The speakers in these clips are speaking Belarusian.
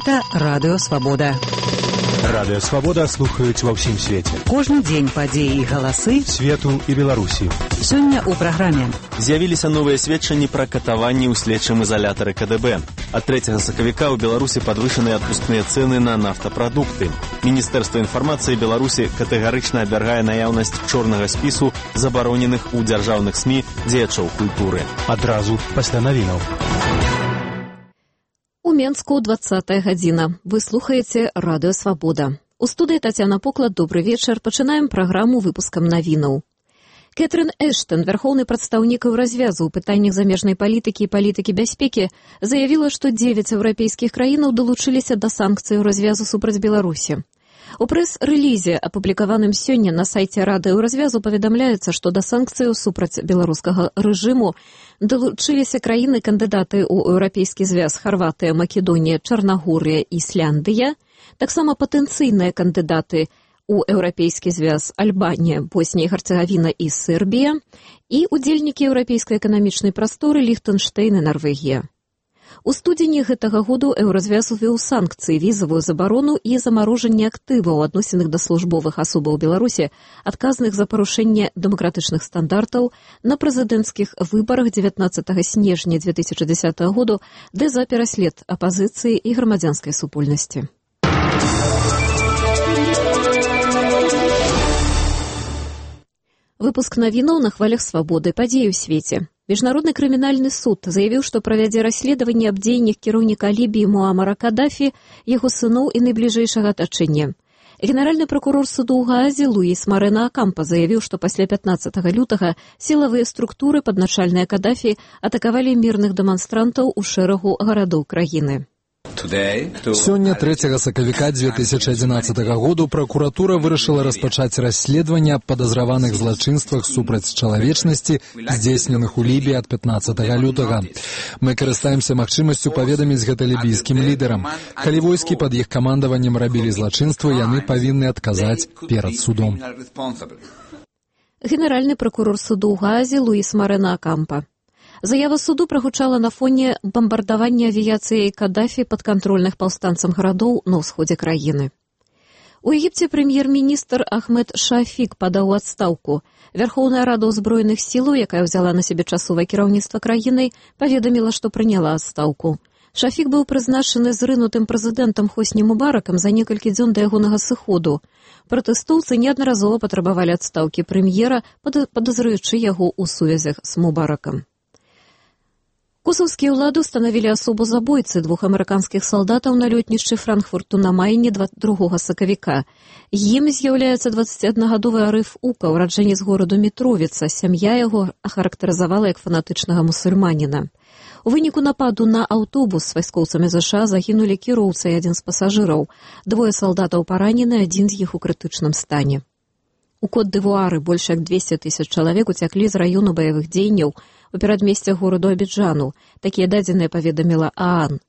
Гэта Радыё Свабода. Радыё Свабода слухаюць ва ўсім свеце. Кожны дзень падзеі і галасы свету і Беларусі. Сёння ў праграме. З'явіліся новыя сведчанні пра катаванні ў следчым ізалятары КДБ. Ад 3 сакавіка ў Беларусі падвышаныя адпускныя цэны на нафтапрадукты. Міністэрства інфармацыі Беларусі катэгарычна абвяргае наяўнасць чорнага спісу забароненых у дзяржаўных СМІ дзеячоў культуры. Адразу пасля навінаў. У Менску 20-я гадзіна. Вы слухаеце Радыё Свабода. У студыі Тацяна Поклад, добры вечар. Пачынаем праграму выпускам навінаў. Кэтрын Эштон, вярхоўны прадстаўнік Еўразвязу ў пытаннях замежнай палітыкі і палітыкі бяспекі, заявіла, што 9 еўрапейскіх краінаў далучыліся да санкцый Еўразвязу супраць Беларусі. У прэс-рэлізе, апублікаваным сёння на сайце Рады Еўразвязу, паведамляецца, што да санкцыяў супраць беларускага рэжыму далучыліся краіны-кандыдаты ў Еўрапейскі звяз Харватыя, Македонія, Чарнагорыя, Ісляндыя, таксама патэнцыйныя кандыдаты ў Еўрапейскі звяз Альбанія, Боснія і Герцеговіна і Сербія і удзельнікі еўрапейскай эканамічнай прасторы Ліхтэнштэйн і Нарвегія. У студзені гэтага году Еўразвяз увёў санкцыі, візавую забарону і замарожанне актываў, адносіных да службовых асобаў Беларусі, адказных за парушэнне дэмакратычных стандартаў на прэзідэнцкіх выбарах 19 снежня 2010 году, ды за пераслед апазіцыі і грамадзянскай супольнасці. Выпуск навінаў на хвалях свабоды, падзеі ў свеце. Міжнародны крымінальны суд заявіў, што правядзе расследаванне аб дзеяннях кіраўніка Лібіі Муамара Кадафі, яго сыноў і найбліжэйшага атачэння. Генеральны прокурор суду ў Гаазе Луіс Марена Акампа заявіў, што пасля 15 лютага сілавыя структуры падначальныя Кадафі атакавалі мірных дэманстрантаў у шэрагу гарадоў краіны. Сёння 3 сакавіка 2011 году пракуратура вырашыла распачаць расследаванне аб падазраваных злачынствах супраць чалавечнасці, здзейсненых у Лібіі ад 15 лютага. Мы карыстаемся магчымасцю паведаміць гэта лібійскім лідарам. Калі войскі пад іх камандаваннем рабілі злачынства, яны павінны адказаць перад судом. Генеральны прокурор суду ў Гаазе Луіс Марена Акампа. Заява суду прагучала на фоне бамбардавання авіяцыяй Кадафі падкантрольных паўстанцам гарадоў на ўсходзе краіны. У Егіпце прэм'ер-міністр Ахмед Шафік падаў у адстаўку. Вярхоўная рада ўзброеных сілаў, якая ўзяла на сябе часовае кіраўніцтва краінай, паведаміла, што прыняла адстаўку. Шафік быў прызначаны зрынутым прэзідэнтам Хосні Мубаракам за некалькі дзён да ягонага сыходу. Пратэстоўцы неаднаразова патрабавалі адстаўкі прэм'ера, падазраючы яго ў сувязях з Мубаракам. Косаўскія ўлады ўстанавілі асобу забойцы 2 амерыканскіх салдатаў на лётнішчы Франкфурту на Майне 2 сакавіка. Ім з'яўляецца 21-гадовы Арыф Ука, ураджэнец гораду Мітровіца. Сям'я яго ахарактарызавала як фанатычнага мусульманіна. У выніку нападу на аўтобус з вайскоўцамі ЗША загінулі кіроўца і адзін з пасажыраў. 2 салдатаў паранены, адзін з іх у крытычным стане. У Кот-д'Івуары больш як 200 000 чалавек уцяклі з раёну баявых дзеянняў у перадмесцях гораду Абіджану. Такія дадзеныя паведаміла ААН.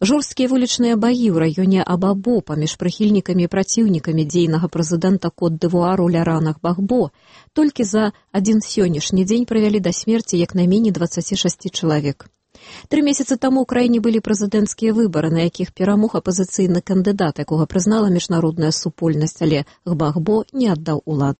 Жорсткія вулічныя баі ў раёне Абабо паміж прыхільнікамі і праціўнікамі дзейнага прэзідэнта Кот-д'Івуару Ляранах Багбо толькі за адзін сённяшні дзень прывялі да смерці як найменей 26 чалавек. 3 месяцы таму ў краіне былі прэзідэнцкія выбары, на якіх перамог апазіцыйны кандыдат, якога прызнала міжнародная супольнасць, але Гбагбо не аддаў улад.